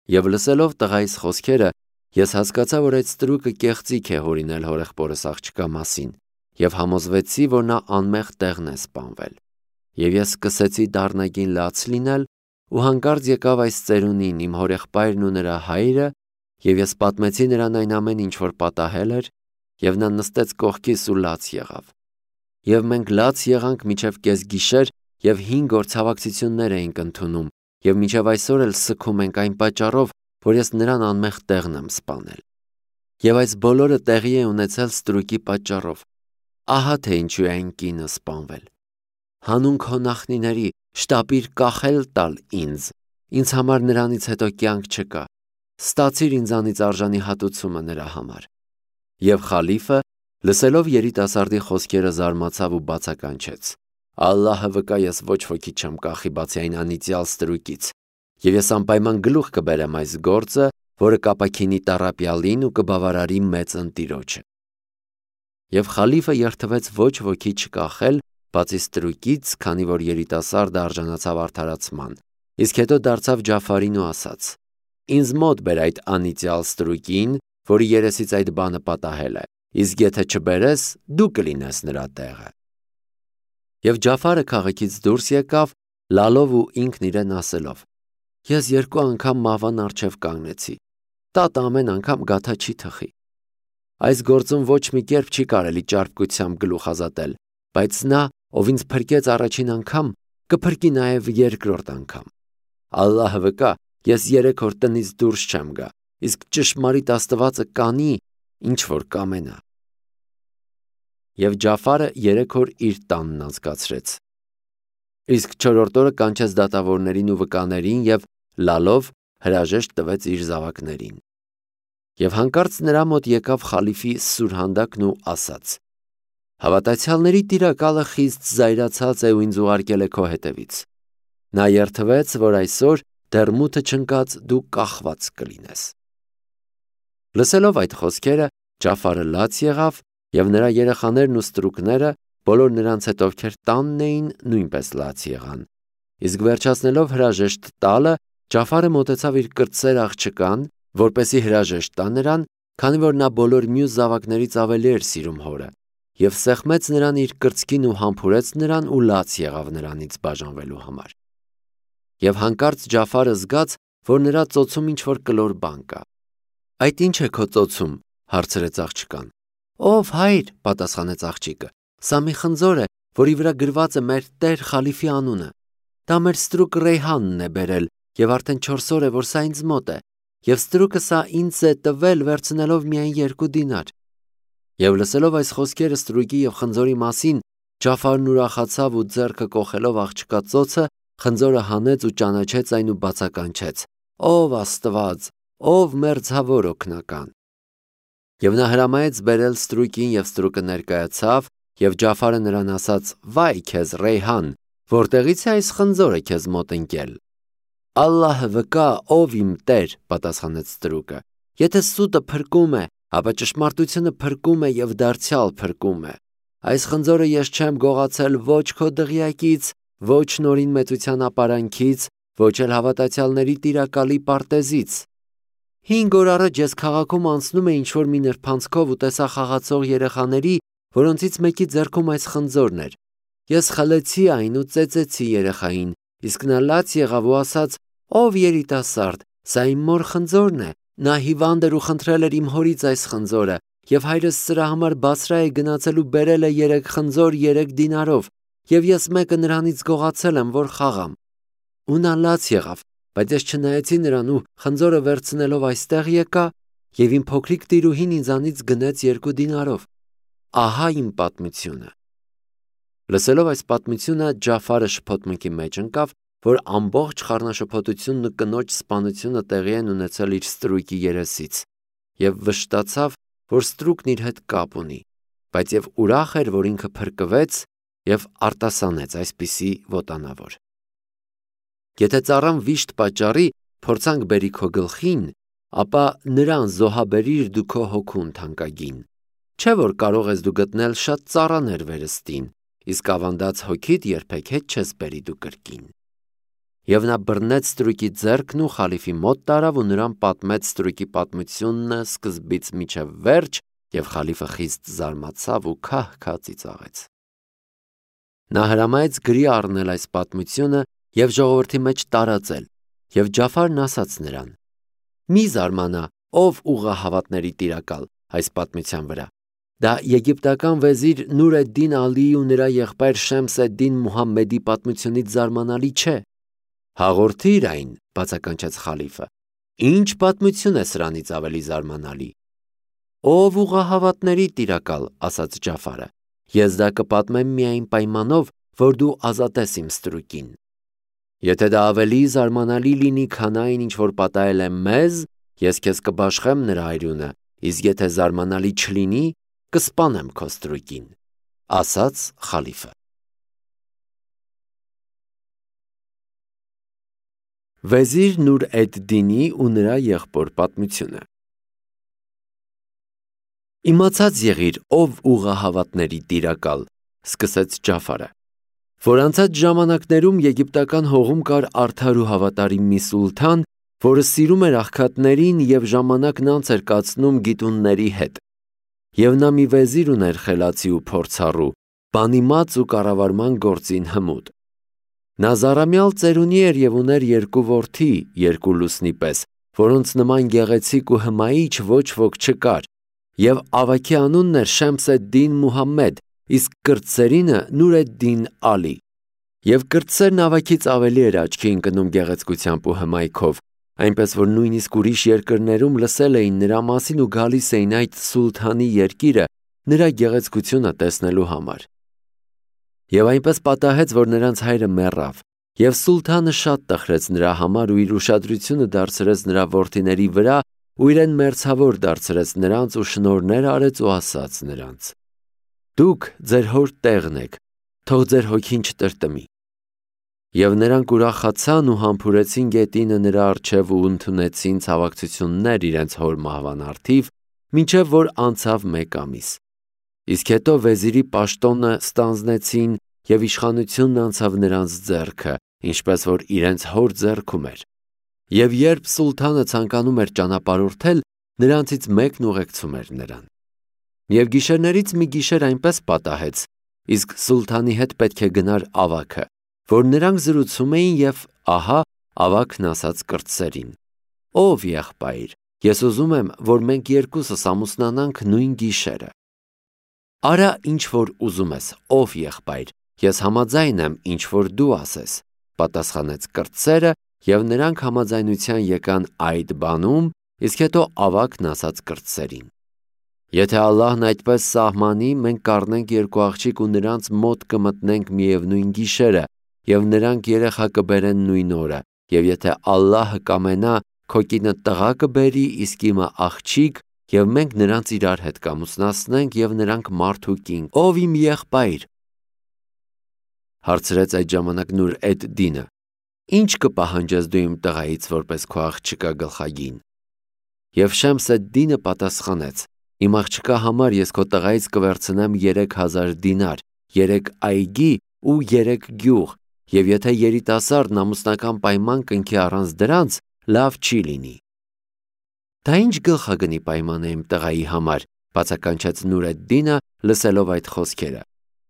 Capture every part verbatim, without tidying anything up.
Եվ լսելով տղայիս խոսքերը, ես հասկացա, որ այդ ստրուկը կեղծիք է հորինել հորեղբորս աղջկա մասին, եւ համոզվեցի, որ նա անմեղ տեղն է սպանվել։ Եվ ես սկսեցի դառնագին լաց լինել, ու հանկարծ եկավ այս ծերունին իմ հորեղբայրն ու նրա հայրը, եւ ես պատմեցի նրան այն ամեն ինչ, որ պատահել էր, եւ նա նստեց կողքիս ու լաց եղավ։ Եվ մենք լաց եղանք մինչև կեսգիշեր եւ հինգ օր ցավակցություններ էինք ընդունում, եւ մինչև այսօր էլ սգում ենք այն պատճառով, որ ես նրան անմեղ տեղն եմ սպանել։ Եվ այս բոլորը տեղի է ունեցել ստրուկի պատճառով։ Ահա թե ինչու է այն կինը սպանվել։ Հանուն քո նախնիների շտապիր կախել տալ ինձ, ինձ համար նրանից հետո կյանք չկա, ստացիր ինձանից արժանի հատուցումը նրա համար։ Եվ խալիֆը, լսելով երիտասարդի խոսքերը, զարմացավ ու բացականչեց. Ալլահը վկա, ես ոչ ոքի չեմ կախի բացի այն անիծյալ ստրուկից, եւ ես անպայման գլուխ կբերեմ այս գործը, որը կապաքինի տառապյալին ու կբավարարի մեծ ընտիրոջը։ Եվ խալիֆը երթվեց ոչ ոքի չկախել բացի ստրուկից, քանի որ երիտասարդը արժանացավ արդարացման, իսկ հետո դարձավ Ջաֆարին ու ասաց. Ինձ մոտ բեր այդ անիծյալ ստրուկին, որի երեսից այդ բանը պատահել է, իսկ եթե չբերես, դու կլինես նրա տեղը։ Եվ Ջաֆարը քաղաքից դուրս եկավ, լալով ու ինքն իրեն ասելով. Ես երկու անգամ մահվան առջև կանգնեցի, տատը ամեն անգամ գաթա չի թխի։ Այս գործում ոչ մի կերպ չի կարելի ճարպկությամբ գլուխ ազատել, բայց նա, ով ինձ փրկեց առաջին անգամ, կփրկի նաև երկրորդ անգամ։ Ալլահը վկա, ես երեք օր տնից դուրս չեմ գա, իսկ ճշմարիտ Աստվածը կանի, ինչ որ կամենա։ Եվ Ջաֆարը երեք օր իր տանն անցկացրեց։ Իսկ չորրորդ օրը կանչեց դատավորներին ու վկաներին եւ լալով հրաժեշտ տվեց իր զավակներին։ Եվ հանկարծ նրա մոտ եկավ խալիֆի սուրհանդակն ու ասաց. Հավատացյալների տիրակալը խիստ զայրացած է ու ինձ ուղարկել է քո հետևից։ Նա երթվեց, որ այսօր դեռ մութը չընկած դու կախված կլինես։ Լսելով այդ խոսքերը, Ջաֆարը լաց եղավ, եւ նրա երեխաներն ու ստրուկները, բոլոր նրանց հետ ովքեր տանն էին, նույնպես լաց եղան։ Իսկ վերջացնելով հրաժեշտ տալը, Ջաֆարը մոտեցավ իր կրտսեր աղջկան, որպեսի հրաժեշտ տա նրան, քանի որ նա բոլոր մյուս զավակներից ավելի էր սիրում հորը, եւ սեղմեց նրան իր կրծքին ու համբուրեց նրան ու լաց եղավ նրանից բաժանվելու համար։ Եվ հանկարծ Ջաֆարը զգաց, որ նրա ծոցում ինչ որ կլոր բան կա։ Այդ ի՞նչ է քո ծոցում, հարցրեց աղջկան։ Ով հայր, պատասխանեց աղջիկը, սա մի խնձոր է, որի վրա գրված է մեր Տեր խալիֆի անունը։ Դա մեր ստրուկ Ռեյհանն է բերել, եւ արդեն չորս օր է, որ սա ինձ մոտ է, եւ ստրուկը սա ինձ է տվել վերցնելով միայն երկու դինար։ Եվ լսելով այս խոսքերը ստրուկի եւ խնձորի մասին, Ջաֆարն ուրախացավ ու ձեռքը կոխելով աղջկա ծոցը, խնձորը հանեց ու ճանաչեց այն ու բացականչեց. Ով Աստված, ով մերձավոր օգնական։ Եվ նա հրամայեց բերել ստրուկին, եւ ստրուկը ներկայացավ, եւ Ջաֆարը նրան ասաց. Վայ քեզ Ռեյհան, որտեղից է այս խնձորը քեզ մոտ ընկել։ Ալլահը վկա, ով իմ Տեր, պատասխանեց ստրուկը։ Եթե սուտը փրկում է, ապա ճշմարտությունը փրկում է եւ դարձյալ փրկում է։ Այս խնձորը ես չեմ գողացել ոչ քո դղյակից, ոչ նորին մեծության ապարանքից, ոչ էլ հավատացյալների տիրակալի պարտեզից։ Հինգ օր առաջ ես քաղաքում անցնում էի ինչ-որ մի նրբանցքով ու տեսա խաղացող երեխաների, որոնցից մեկի ձեռքում այս խնձորն էր։ Ես խլեցի այն ու ծեծեցի երեխային, իսկ նա լաց եղավ ու ասաց. Ով երիտասարդ, սա իմ մոր խնձորն է։ Նա հիվանդ էր ու խնդրել էր իմ հորից այս խնձորը, եւ հայրս սրա համար Բասրա է գնացել ու բերել է երեք խնձոր երեք դինարով, եւ ես մեկը նրանից գողացել եմ, որ խաղամ։ Ու նա լաց եղավ, բայց ես չնայեցի նրան ու խնձորը վերցնելով այստեղ եկա, եւ իմ փոքրիկ տիրուհին ինձանից գնեց երկու դինարով։ Ահա իմ պատմությունը։ Լսելով այս պատմությունը, Ջաֆարը շփոթմունքի մեջ ընկավ, որ ամբողջ խառնաշփոթությունն ու կնոջ սպանությունը տեղի են ունեցել իր ստրուկի երեսից, եւ վշտացավ, որ ստրուկն իր հետ կապ ունի, բայց եւ ուրախ էր, որ ինքը փրկվեց եւ արտասանեց այսպիսի ոտանավոր։ Եթե ծառան վիշտ պատճառի, փորձանք բերի քո գլխին, ապա նրան զոհաբերիր դու քո հոգուն թանկագին։ Չէ որ կարող ես դու գտնել շատ ծառաներ վերստին, իսկ ավանդած հոգիդ երբեք հետ չես բերի դու կրկին։ Եվ նա բռնեց ստրուկի ձեռքն ու խալիֆի մոտ տարավ ու նրան պատմեց ստրուկի պատմությունը սկզբից մինչև վերջ, եւ խալիֆը խիստ զարմացավ ու քահ-քահ ծիծաղեց։ Նա հրամայեց գրի առնել այս պատմությունը եւ ժողովրդի մեջ տարածել, եւ Ջաֆարն ասաց նրան. «Մի զարմանա, ով ուղղահավատների տիրակալ, այս պատմության վրա։ Դա եգիպտական վեզիր Նուր էդ-Դին Ալիի ու նրա եղբայր Շեմս էդ-Դին Մուհամմեդի պատմությունից զարմանալի չէ»։ «Հաղորդիր այն», բացականչեց խալիֆը։ «Ինչ պատմություն է սրանից ավելի զարմանալի»։ «Ով ուղղահավատների տիրակալ», ասաց Ջաֆարը, «ես դա կպատմեմ միայն պայմանով, որ դու ազատես իմ ստրուկին։ Եթե դա ավելի զարմանալի լինի, քան այն, ինչ որ պատահել է մեզ, ես քեզ կբաշխեմ նրա արյունը, իսկ եթե զարմանալի չլինի, կսպանեմ քո ստրուկին», ասաց խալիֆը։ Վեզիր Նուր էդ-Դինի ու նրա եղբոր պատմությունը։ «Իմացած եղիր, ով ուղղահավատների տիրակալ», սկսեց Ջաֆարը, «որ անցած ժամանակներում Եգիպտական հողում կար արդար ու հավատարիմ մի սուլթան, որը սիրում էր աղքատներին և ժամանակն անց էր կացնում գիտունների հետ։ Եվ նա մի վեզիր ուներ խելացի ու փորձառու, բանիմաց ու կառավարման գործին հմուտ։ Նա զառամյալ ծերունի էր և ուներ երկու որդի, երկու լուսնի պես, որոնց նման գեղեցիկ ու հմայիչ ոչ ոք չկար, և ավագի անունն էր Շեմս էդ-Դին Մուհամմեդ, իսկ կրտսերինը Նուր էդ-Դին Ալի։ Եվ կրտսերն ավագից ավելի էր աչքի ընկնում գեղեցկությամբ ու հմայքով, այնպես որ նույնիսկ ուրիշ երկրներում լսել էին նրա մասին ու գալիս էին այդ սուլթանի երկիրը նրա գեղեցկությունը տեսնելու համար։ Եվ այնպես պատահեց, որ նրանց հայրը մեռավ, և սուլթանը շատ տխրեց նրա համար ու իր ուշադրությունը դարձրեց նրա որդիների վրա ու իրեն մերձավոր դարձրեց նրանց ու շնորհներ արեց ու ասաց նրանց. «Դուք ձեր հոր տեղն եք, թող ձեր հոգին չտրտմի»։ Եվ նրանք ուրախացան ու համբուրեցին գետինը նրա առջև ու ընդունեցին ցավակցություններ իրենց հոր մահվան առթիվ, մինչև որ անցավ մեկ ամիս։ Իսկ հետո վեզիրի պաշտոնը ստանձնեցին և իշխանությունն անցավ նրանց ձեռքը, ինչպես որ իրենց հոր ձեռքում էր։ Եվ երբ սուլթանը ցանկանում էր ճանապարհորդել, նրանցից մեկն ուղեկցում էր նրան։ Եվ գիշերներից մի գիշեր այնպես պատահեց, իսկ սուլթանի հետ պետք է գնար ավագը, որ նրանք զրուցում էին, և ահա ավագն ասաց կրտսերին. «Ով եղբայր, ես ուզում եմ, որ մենք երկուսս ամուսնանանք նույն գիշերը»։ «Արա ինչ որ ուզում ես, ով եղբայր, ես համաձայն եմ, ինչ որ դու ասես», պատասխանեց կրտսերը, և նրանք համաձայնության եկան այդ բանում, իսկ հետո ավագն ասաց կրտսերին. «Եթե Ալլահն այդպես սահմանի, մենք կառնենք երկու աղջիկ ու նրանց մոտ կմտնենք միևնույն գիշերը, և նրանք երեխա կբերեն նույն օրը, և եթե Ալլահը կամենա, քո կինը տղա կբերի, իսկ իմը աղջիկ, և մենք նրանց իրար հետ կամուսնացնենք, և նրանք մարդ ու կին, ով իմ եղբայր»։ Հարցրեց այդ ժամանակ Նուր էդ-Դինը. «Ի՞նչ կպահանջես դու իմ տղայից, որպես քո աղջկա գլխագին»։ Եվ Շեմս էդ-Դինը պատասխանեց. «Իմ աղջկա համար ես քո տղայից կվերցնեմ երեք հազար դինար, երեք այգի ու երեք գյուղ, և եթե երիտասարդն ամուսնական պայման կնքի առանց դրանց, լավ չի լինի»։ «Դա ի՞նչ գլխագնի պայման է իմ տղայի համար», բացականչեց Նուր էդ-Դինը, լսելով այդ խոսքերը։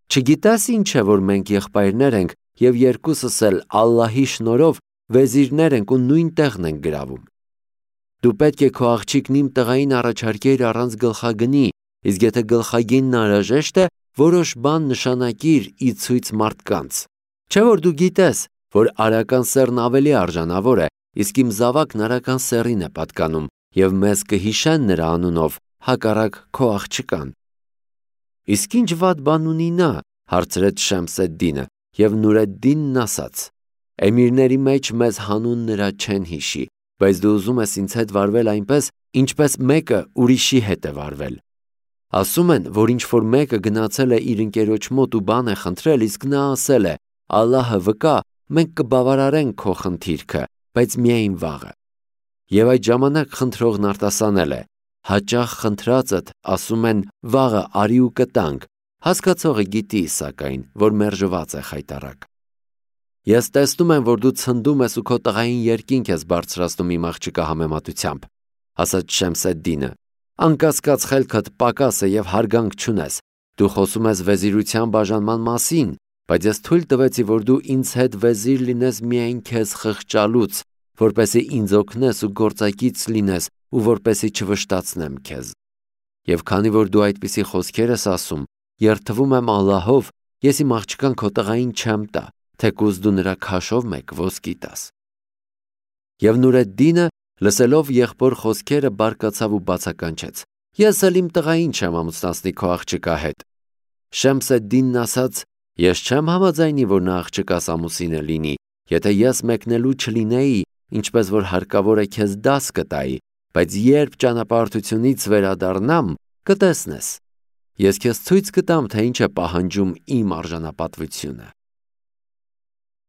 «Չգիտես ինչ է, որ մենք եղբայրներ ենք և երկուսս էլ Ալլահի շնորհով վեզիրներ ենք ու նույն տեղն ենք գրավում։ Դու պետք է քո աղջիկն իմ տղային առաջարկեիր առանց գլխագնի, իսկ եթե գլխագինն անհրաժեշտ է, որոշ բան նշանակիր ի ցույց մարդկանց։ Չէ՞ որ դու գիտես, որ արական սեռն ավելի արժանավոր է, իսկ իմ զավակն արական սեռին է պատկանում, և մեզ կհիշեն նրա անունով, հակառակ քո աղջկան»։ «Իսկ ինչ վատ բան ունի նա», հարցրեց Շեմս էդ-Դինը, և Նուր էդ-Դինն ասաց. «Էմիրների մեջ մեզ հանուն նրա չեն հիշի, բայց դու ուզում ես ինձ հետ վարվել այնպես, ինչպես մեկը ուրիշի հետ է վարվել։ Ասում են, որ ինչ-որ մեկը գնացել է իր ընկերոջ մոտ ու բան է խնդրել, իսկ նա ասել է. Ալլահը վկա, մենք կբավարարենք քո խնդիրքը, բայց միայն վաղը։ Եվ այդ ժամանակ խնդրողն արտասանել է. հաճախ խնդրածդ, ասում են, վաղը արի ու կտանք, հասկացողը գիտի, սակայն, որ մերժված է խայտառակ։ Ես տեսնում եմ, որ դու ցնդում ես ու քո տղային երկինք ես բարձրացնում իմ աղջկա համեմատությամբ, ասաց Շեմսեդդինը։ Անկասկած խելքդ պակաս է եւ հարգանք չունես։ Դու խոսում ես վեզիրության բաժանման մասին, բայց ես թույլ տվեցի, որ դու ինձ հետ վեզիր լինես միայն քեզ խղճալուց, որպեսզի ինձ օգնես ու գործակից լինես ու որպեսզի չվշտացնեմ քեզ։ Եվ քանի որ դու այդպիսի խոսքեր ես ասում, երդվում եմ Ալլահով, ես իմ աղջկան քո տղային չեմ տա, թեկուզ դու նրա քաշով մեկ ոսկի տաս։ Եվ Նուրեդդինը, լսելով եղբոր խոսքերը, բարկացավ ու բացականչեց. Ես էլ իմ տղային չեմ ամուսնացնի քո աղջկա հետ։ Շեմսեդդինն ասաց. Ես չեմ համաձայնի, որ նա աղջկաս ամուսինը լինի, եթե ես մեկնելու չլինեի, ինչպես որ հարկավոր է քեզ դաս կտայի, բայց երբ ճանապարհորդությունից վերադառնամ, կտեսնես։ Ես քեզ ցույց կտամ, թե ինչ է պահանջում իմ արժանապատվությունը։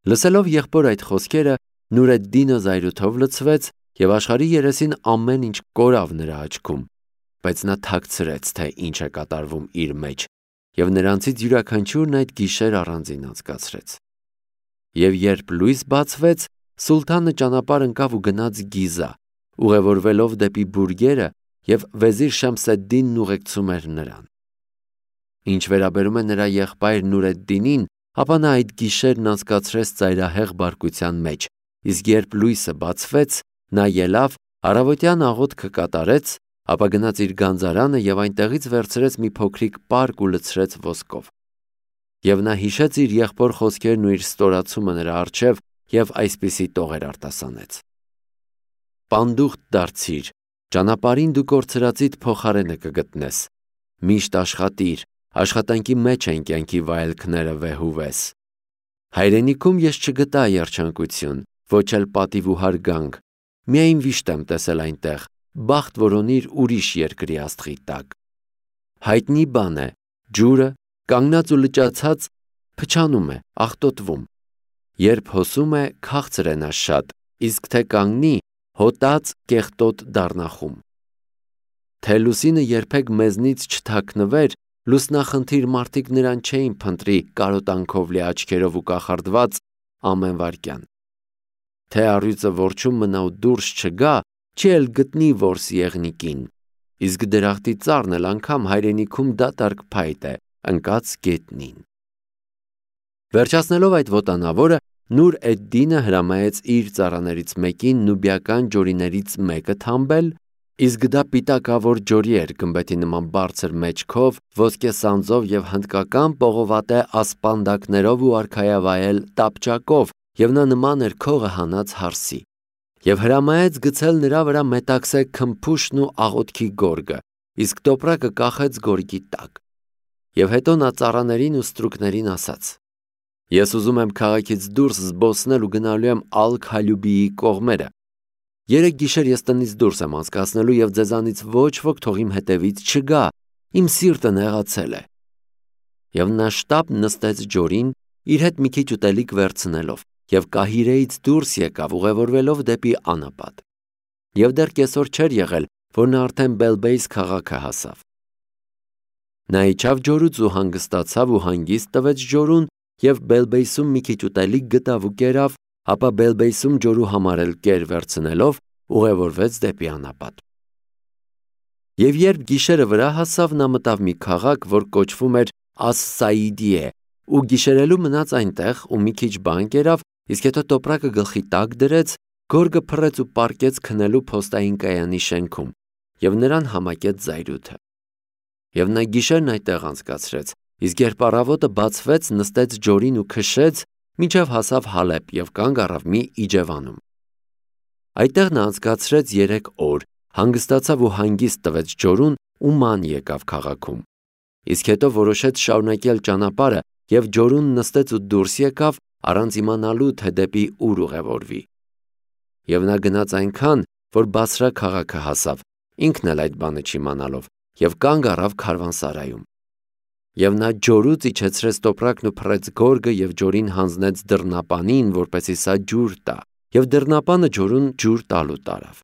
Լսելով եղբոր այդ խոսքերը, Նուրեդդինը զայրույթով լցվեց եւ աշխարհի երեսին ամեն ինչ կորավ նրա աչքում, բայց նա թաքցրեց, թե ինչ է կատարվում իր մեջ, եւ նրանցից յուրաքանչյուրն այդ գիշեր առանձին անցկացրեց։ Եվ երբ լույս բացվեց, սուլթանը ճանապարհ ընկավ ու գնաց Գիզա, ուղևորվելով դեպի բուրգերը, եւ վեզիր Շեմսեդդինն ուղեկցում էր նրան։ Ինչ վերաբերում է նրա եղբայր Նուրեդդինին, ապա նա այդ գիշերն անցկացրեց ծայրահեղ բարկության մեջ, իսկ երբ լույսը բացվեց, նա ելավ, առավոտյան աղոթքը կատարեց, ապա գնաց իր գանձարանը եւ այնտեղից վերցրեց մի փոքրիկ պարկ ու լցրեց ոսկով։ Եվ նա հիշեց իր եղբոր խոսքերն ու իր ստորացումը նրա առջև եւ այսպիսի տողեր արտասանեց. Պանդուխտ դարձիր, ճանապարհին դու կորցրածիդ փոխարենը կգտնես։ Միշտ աշխատիր, աշխատանքի մեջ են կյանքի վայելքները վեհուվես։ Հայրենիքում ես չգտա երջանկություն, ոչ էլ պատիվ ու հարգանք, միայն վիշտ եմ տեսել այնտեղ, բախտ որոնիր ուրիշ երկրի աստղի տակ։ Հայտնի բան է, ջուրը, կանգնած ու լճացած, փչանում է, աղտոտվում։ Երբ հոսում է, քաղցր է նա շատ, իսկ թե կանգնի, հոտած կեղտոտ դառնախում։ Թե լուսինը երբեք մեզնից չթաքնվեր, լուսնախնդիր մարդիկ նրան չէին փնտրի կարոտանքով լի աչքերով ու կախարդված ամեն վայրկյան։ Թե առյուծը որջում մնա ու դուրս չգա, չի էլ գտնի որս եղնիկին, իսկ դրախտի ծառն էլ անգամ հայրենիքում դատարկ փայտ է, ընկած գետնին։ Վերջացնելով այդ ոտանավորը, Նուր էդ-Դինը հրամայեց իր ծառաներից մեկին նուբիական ջորիներից մեկը թամբել, իսկ դա պիտակավոր ջորի էր գմբեթի նման բարձր մեջքով, ոսկե սանձով եւ հնդկական պողովատե ասպանդակներով ու արքայավայել տապճակով, եւ նա նման էր քողը հանած հարսի։ Եվ հրամայեց գցել նրա վրա մետաքսե քմփուշն ու աղոթքի գորգը, իսկ տոպրակը կախեց գորգի տակ։ Եվ հետո նա ծառաներին ու ստրուկներին ասաց. Ես ուզում եմ քաղաքից դուրս զբոսնել ու գնալու եմ Ալ-Քալյուբիի կողմերը։ Երեք գիշեր ես տնից դուրս եմ անցկացնելու եւ ձեզանից ոչ ոք թող իմ հետևից չգա, իմ սիրտը նեղացել է։ Եվ նա շտապ նստեց ջորին, իր հետ մի քիչ ուտելիք վերցնելով, եւ Կահիրեից դուրս եկավ ուղևորվելով դեպի անապատ։ Եվ դեռ կեսօր չէր եղել, որ նա արդեն Բելբեյս քաղաքը հասավ։ Նա իջավ ջորուց ու հանգստացավ ու հանգիստ տվեց ջորուն եւ Բելբեյսում մի քիչ ուտելիք գտավ ու կերավ, ապա Բելբեյսում ջորու համար էլ կեր վերցնելով ուղևորվեց դեպի անապատ։ Եվ երբ գիշերը վրա հասավ, նա մտավ մի քաղաք, որ կոչվում էր Աս-Սաիդիե, ու գիշերելու մնաց այնտեղ ու մի քիչ բան կերավ, իսկ հետո տոպրակը գլխի տակ դրեց, գորգը փռեց ու պառկեց քնելու փոստային կայանի շենքում, եւ նրան համակեց զայրույթը։ Եվ նա գիշերն այդտեղ անցկացրեց, իսկ երբ առավոտը բացվեց, նստեց ջորին ու քշեց, մինչև հասավ Հալեբ եւ կանգ առավ մի իջևանում։ Այդտեղ նա անցկացրեց երեք օր, հանգստացավ ու հանգիստ տվեց ջորուն ու ման եկավ քաղաքում։ Իսկ հետո որոշեց շարունակել ճանապարհը եւ ջորուն նստեց ու դուրս եկավ, առանց իմանալու, թե դեպի ուր ուղևորվի։ Եվ նա գնաց այնքան, որ Բասրա քաղաքը հասավ, ինքն էլ այդ բանը չիմանալով, եւ կանգ առավ քարվանսարայում։ Եվ նա ջորուց իջեցրեց տոպրակն ու փռեց գորգը եւ ջորին հանձնեց դռնապանին, որպեսզի սա ջուր տա, եւ դռնապանը ջորուն ջուր տալու տարավ։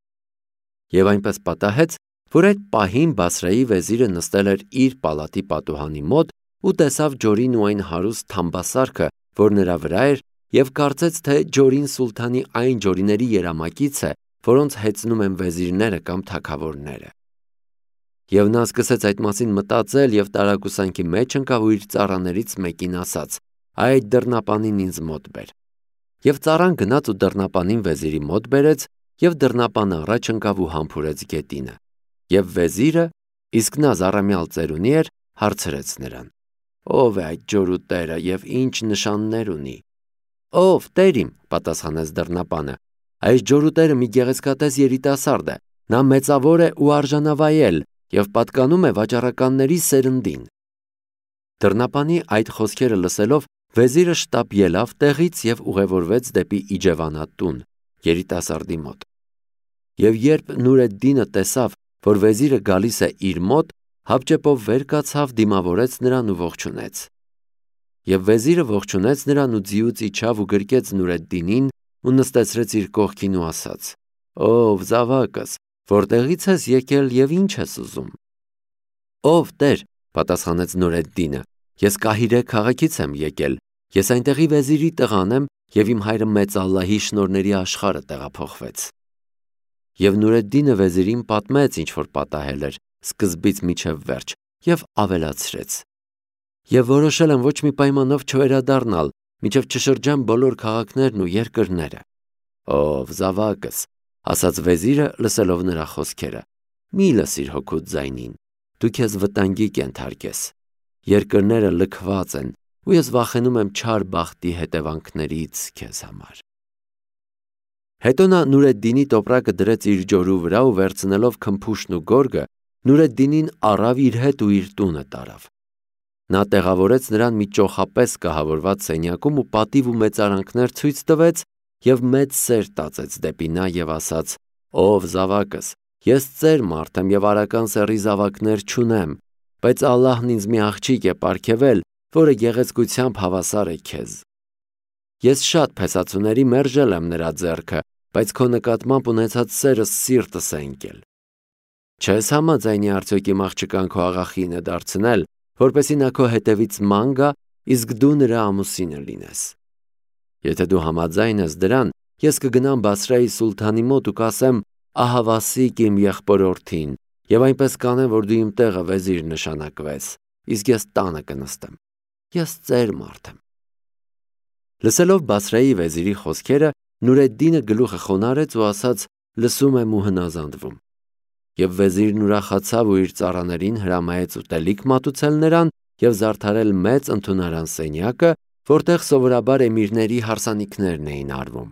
Եվ այնպես պատահեց, որ այդ պահին Բասրայի վեզիրը նստել էր իր պալատի պատուհանի մոտ ու տեսավ ջորին ու այն հարուստ թամբասարքը, որ նրա վրա էր, և կարծեց, թե ջորին սուլթանի այն ջորիների երամակից է, որոնց հեծնում են վեզիրները կամ թագավորները։ Եվ նա սկսեց այդ մասին մտածել և տարակուսանքի մեջ ընկավ ու իր ծառաներից մեկին ասաց. «Այդ դռնապանին ինձ մոտ բեր»։ Եվ ծառան գնաց ու դռնապանին վեզիրի մոտ բերեց, և դռնապանը առաջ ընկավ ու համբուրեց գետինը։ Եվ վեզիրը, իսկ նա զառամյալ ծերունի էր, հարցրեց նրան. «Ո՞վ է այդ ջորու տերը և ինչ նշաններ ունի»։ «Ով, տեր իմ», պատասխանեց դռնապանը, «այս ջորու տերը մի գեղեցկատես երիտասարդ է, նա մեծավոր է ու արժանավայել և պատկանում է վաճառականների սերնդին»։ Դռնապանի այդ խոսքերը լսելով վեզիրը շտապ ելավ տեղից և ուղևորվեց դեպի իջևանա տուն, երիտասարդի մոտ։ Եվ երբ Նուր էդ-Դինը տեսավ, որ վեզիրը գալիս է իր մոտ, հապճեպով վեր կացավ, դիմավորեց նրան ու ողջունեց։ Եվ վեզիրը ողջունեց նրան ու ձիուց իջավ ու գրկեց Նուր էդ-Դինին ու նստեցրեց իր կողքին ու ասաց. «Ով զավակս, որտեղի՞ց ես եկել և ինչ ես ուզում»։ «Ով տեր», պատասխանեց Նուր էդ-Դինը, «ես Կահիրե քաղաքից եմ եկել, ես այնտեղի վեզիրի տղան եմ և իմ հայրը մեծ Ալլահի շնորհների աշխարհը տեղափոխվեց»։ Եվ Նուր էդ-Դինը վեզիրին պատմեց, ինչ որ պատահել էր, սկզբից մինչև վերջ, և ավելացրեց. «Եվ որոշել եմ ոչ մի պայմանով չվերադառնալ, մինչև չշրջեմ բոլոր քաղաքներն ու երկրները»։ «Ով զավակս», ասաց վեզիրը, լսելով նրա խոսքերը, «մի լսիր հոգուդ ձայնին, դու քեզ վտանգի կենթարկես։ Երկրները լքված են ու ես վախենում եմ չար բախտի հետևանքներից քեզ համար»։ Հետո նա Նուր էդ-Դինի տոպրակը դրեց իր ջորու վրա ու վերցնելով քմփուշտն ու գորգը, Նուր էդ-Դինին առավ իր հետ ու իր տունը տարավ։ Նա տեղավորեց նրան մի ճոխապես կահավորված սենյակում ու պատիվ ու մեծարանքներ ցույց տվեց և մեծ սեր տածեց դեպի նա և ասաց. «Ով զավակս, ես ծեր մարդ եմ և արական սեռի զավակներ չունեմ, բայց Ալլահն ինձ մի աղջիկ է պարգևել, որը գեղեցկությամբ հավասար է քեզ։ Ես շատ փեսացուների մերժել եմ նրա ձեռքը, բայց քո նկատմամբ ունեցած սերս սիրտս է ընկել։ Չես համաձայնի արդյոք իմ աղջկան քո աղախինը դարձնել, որպեսզի նա քո հետևից ման գա, իսկ դու նրա ամուսինը լինես։ Եթե դու համաձայն ես դրան, ես կգնամ Բասրայի սուլթանի մոտ ու կասեմ. ահավասիկ իմ եղբորորդին, և այնպես կանեմ, որ դու իմ տեղը վեզիր նշանակվես, իսկ ես տանը կնստեմ։ Ես ծեր մարդ եմ»։ Լսելով Բասրայի վեզիրի խոսքերը, Նուր էդ-Դինը գլուխը խոնարհեց ու ասաց. «Լսում եմ ու հնազանդվում»։ Եվ վեզիրն ուրախացավ ու իր ծառաներին հրամայեց ուտելիք մատուցել նրան և զարդարել մեծ ընդունարան սենյակը, որտեղ սովորաբար էմիրների հարսանիքներն էին արվում։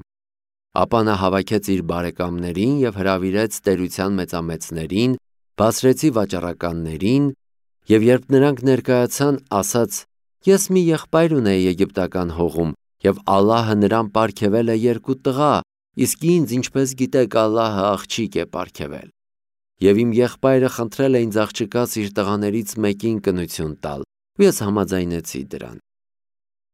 Ապա նա հավաքեց իր բարեկամներին և հրավիրեց տերության մեծամեծներին, բասրեցի վաճառականներին, և երբ նրանք ներկայացան, ասաց. «Ես մի եղբայր ունեի եգիպտական հողում, և Ալլահը նրան պարգևել է երկու տղա, իսկ ինձ, ինչպես գիտեք, Ալլահը աղջիկ է պարգևել։ Եվ իմ եղբայրը խնդրել է ինձ աղջկաս իր տղաներից մեկին կնություն տալ, ու ես համաձայնեցի դրան։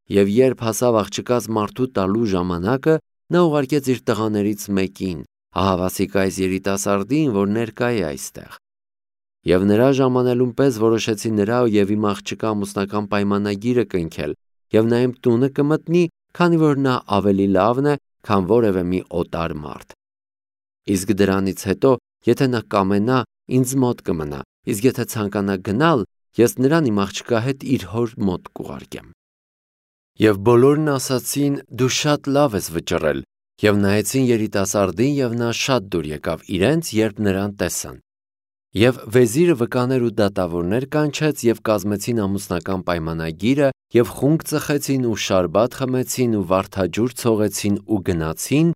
Եվ երբ հասավ աղջկաս մարդու տալու ժամանակը, նա ուղարկեց իր տղաներից մեկին, ահավասիկ այս երիտասարդին, որ ներկա է այստեղ։ Եվ նրա ժամանելուն պես որոշեցի նրա և իմ աղջկա ամուսնական պայմանագիրը կնքել, և նա իմ տունը կմտնի, քանի որ նա ավելի լավն է, քան որևէ մի օտար մարդ։ Իսկ դրանից հետո, եթե նա կամենա, ինձ մոտ կմնա, իսկ եթե ցանկանա գնալ, ես նրան իմ աղջկա հետ իր հոր մոտ կուղարկեմ»։ Եվ բոլորն ասացին. «Դու շատ լավ ես վճռել», և նայեցին երիտասարդին, և նա շատ դուր եկավ իրենց, երբ նրան տեսան։ Եվ վեզիրը վկաներ ու դատավորներ կանչեց, և կազմեցին ամուսնական պայմանագիրը, և խունկ ծխեցին ու շարբաթ խմեցին ու վարդաջուր ցողեցին ու գնացին,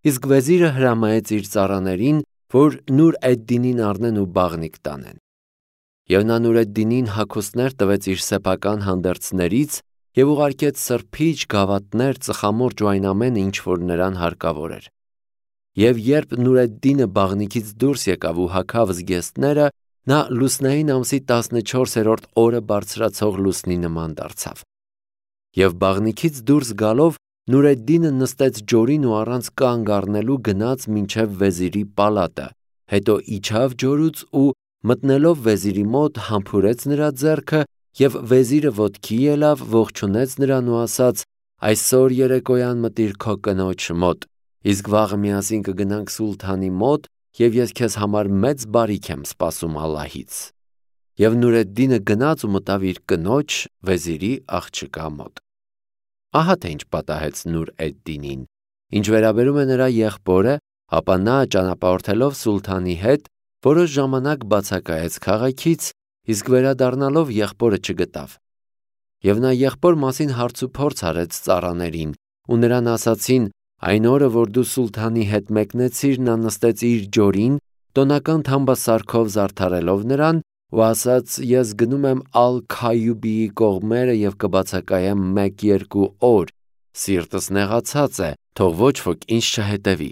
իսկ վեզիրը հրամայեց իր ծառաներին, որ Նուր էդ-Դինին առնեն ու բաղնիք տանեն։ Եվ նա Նուր էդ-Դինին հագուստներ տվեց իր սեփական հանդերձներից և ուղարկեց սրբիչ, գավաթներ, ծխամորճ ու այն ամենը, ինչ որ նրան հարկավոր էր։ Եվ երբ Նուր էդ-Դինը բաղնիքից դուրս եկավ ու հագավ զգեստները, նա լուսնային ամսի տասնչորսերորդ օրը բարձրացող լուսնի նման դարձավ։ Եվ բաղնիքից դուրս գալով Նուր էդ-Դինը նստեց ջորին ու առանց կանգ առնելու գնաց մինչև վեզիրի պալատը, հետո իջավ ջորուց ու մտնելով վեզիրի մոտ համբուրեց նրա ձեռքը, և վեզիրը ոտքի ելավ, ողջունեց նրան ու ասաց. այսօր երեկոյան մտիր քո կնոջ մոտ, իսկ վաղը միասին կգնանք սուլթանի մոտ, և ես քեզ համար մեծ բարիք եմ սպասում Ալլահից։ Եվ Նուրեդդինը գնաց ու մտավ իր կնոջ վեզիրի աղջկա մոտ։ Ահա թե ինչ պատահեց Նուր էդ-Դինին։ Ինչ վերաբերում է նրա եղբորը, ապա նա ճանապարհորդելով սուլթանի հետ որոշ ժամանակ բացակայեց քաղաքից, իսկ վերադառնալով եղբորը չգտավ։ Եվ նա եղբոր մասին հարց ու փորձ արեց ծառաներին, ու նրան ասացին. այն օրը, որ դու սուլթանի հետ մեկնեցիր, նա նստեց իր ջորին, տոնական թամբասարքով զարդարելով նրան, ու ասաց. ես գնում եմ Ալ-Քայյուբիի կողմերը և կբացակայեմ մեկ-երկու օր, սիրտս նեղացած է, թող ոչ ոք ինձ չհետևի։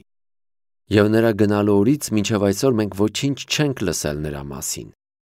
Եվ նրա գնալու օրից մինչև այսօր մենք ոչինչ չենք լսել նրա մասին։